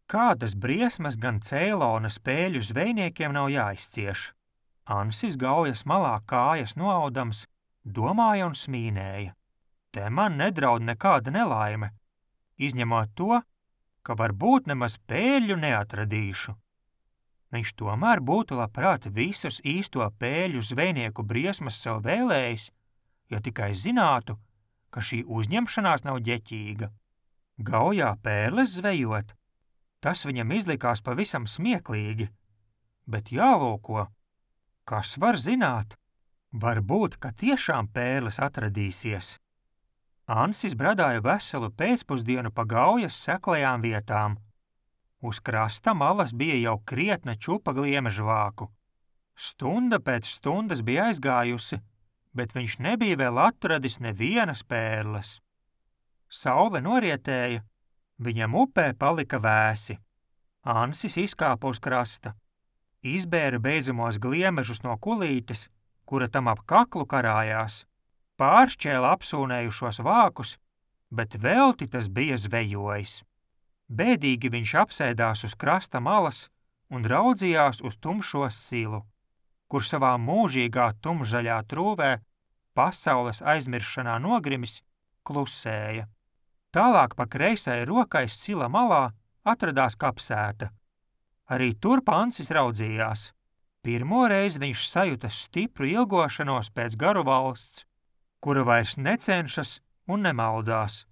Kādas briesmas gan Ceilona spēļu zvejniekiem nav jāizcieš. Ansis gaujas malā kājas noaudams, domāja un smīnēja. Te man nedraud nekāda nelaime, izņemot to, ka varbūt nemaz pēļu neatradīšu. Viņš tomēr būtu labprāt visus īsto pēļu zvejnieku briesmas sev vēlējis, ja tikai zinātu, ka šī uzņemšanās nav ģeķīga. Gaujā pērles zvejot, tas viņam izlikās pavisam smieklīgi, bet jālūko, kas var zināt, varbūt, ka tiešām pērles atradīsies. Ansis bradāja veselu pēcpusdienu pa gaujas seklajām vietām. Uz krasta malas bija jau krietna čupa gliemežvāku. Stunda pēc stundas bija aizgājusi, bet viņš nebija vēl atradis nevienas pērles. Saule norietēja, viņam upē palika vēsi. Ansis izkāpa uz krasta, izbēra beidzamos gliemežus no kulītes, kura tam ap kaklu karājās, pāršķēla apsūnējušos vākus, bet velti tas bija zvejojis. Bēdīgi viņš apsēdās uz krasta malas un raudzījās uz tumšo silu, kur savā mūžīgā tumšzaļā trūvē, pasaules aizmiršanā nogrimis, klusēja. Tālāk pa kreisai rokai sila malā atradās kapsēta. Arī tur Ansis raudzījās. Pirmo reizi viņš sajuta stipru ilgošanos pēc garu valsts, kura vairs necenšas un nemaldās,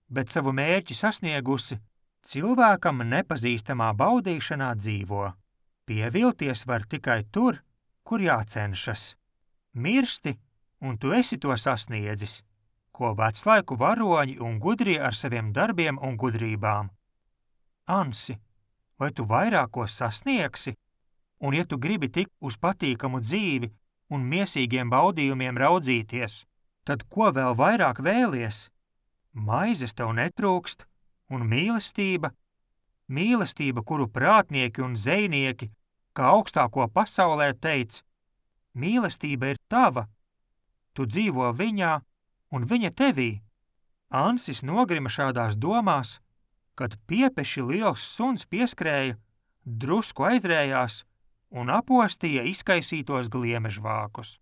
bet savu mērķi sasniegusi, cilvēkam nepazīstamā baudīšanā dzīvo. Pievilties var tikai tur, kur jācenšas. Mirsti, un tu esi to sasniedzis, ko veclaiku varoņi un gudrie ar saviem darbiem un gudrībām. Ansi, vai tu vairāk ko sasniegsi? Un ja tu gribi tikt uz patīkamu dzīvi un miesīgiem baudījumiem raudzīties, tad ko vēl vairāk vēlies? Maizes tev netrūkst, un mīlestība, kuru prātnieki un zejnieki, kā augstāko pasaulē teica, mīlestība ir tava, tu dzīvo viņā un viņa tevī. Ansis nogrima šādās domās, kad piepeši liels suns pieskrēja, drusku aizrējās un apostīja izkaisītos gliemežvākus.